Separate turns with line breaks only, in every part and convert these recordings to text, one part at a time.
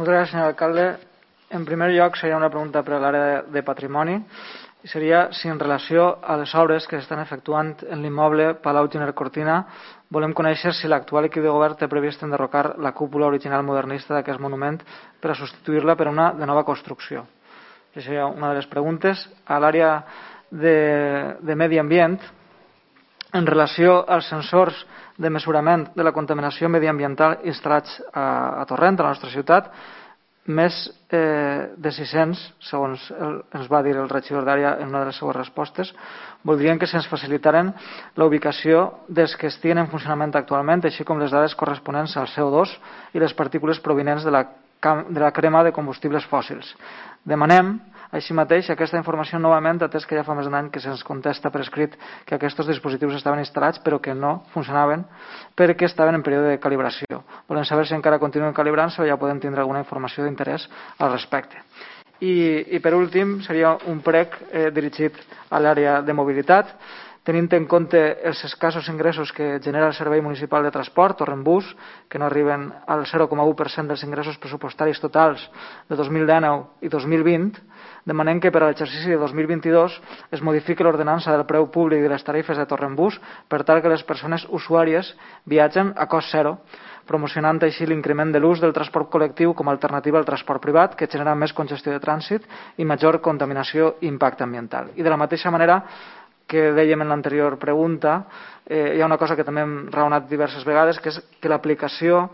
Moltes gràcies, senyor alcalde. En primer lloc, seria una pregunta per a l'àrea de patrimoni. I seria si en relació a les obres que s'estan efectuant en l'immoble Palau Giner Cortina volem conèixer si l'actual equip de govern té previst enderrocar la cúpula original modernista d'aquest monument per a substituir-la per una de nova construcció. Aquesta seria una de les preguntes. A l'àrea de medi ambient, en relació als sensors de mesurament de la contaminació mediambiental instal·lats a Torrent, a la nostra ciutat, més de 600, segons ens va dir el regidor d'àrea en una de les seues respostes, voldrien que se'ns facilitaren la ubicació dels que estiguin en funcionament actualment, així com les dades corresponents al CO2 i les partícules provinents de la crema de combustibles fòssils. Demanem, així mateix, aquesta informació novament, atès que ja fa més d'un any que se'ns contesta per escrit que aquests dispositius estaven instal·lats però que no funcionaven perquè estaven en període de calibració. Volem saber si encara continuen calibrant-se o ja podem tindre alguna informació d'interès al respecte. I per últim, seria un prec dirigit a l'àrea de mobilitat. Tenint en compte els escassos ingressos que genera el Servei Municipal de Transport, Torrent-Bus, que no arriben al 0,1% dels ingressos pressupostaris totals de 2019 i 2020, demanem que per a l'exercici de 2022 es modifiqui l'ordenança del preu públic de les tarifes de Torrent-Bus per tal que les persones usuàries viatgen a cost zero, promocionant així l'increment de l'ús del transport col·lectiu com a alternativa al transport privat, que genera més congestió de trànsit i major contaminació i impacte ambiental. I de la mateixa manera que dèiem en l'anterior pregunta, hi ha una cosa que també hem raonat diverses vegades, que és que l'aplicació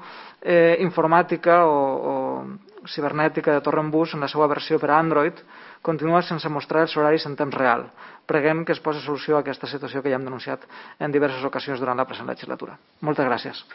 informàtica o cibernètica de Torrent-Bus en la seva versió per a Android continua sense mostrar els horaris en temps real. Preguem que es posi solució a aquesta situació que ja hem denunciat en diverses ocasions durant la present legislatura. Moltes gràcies.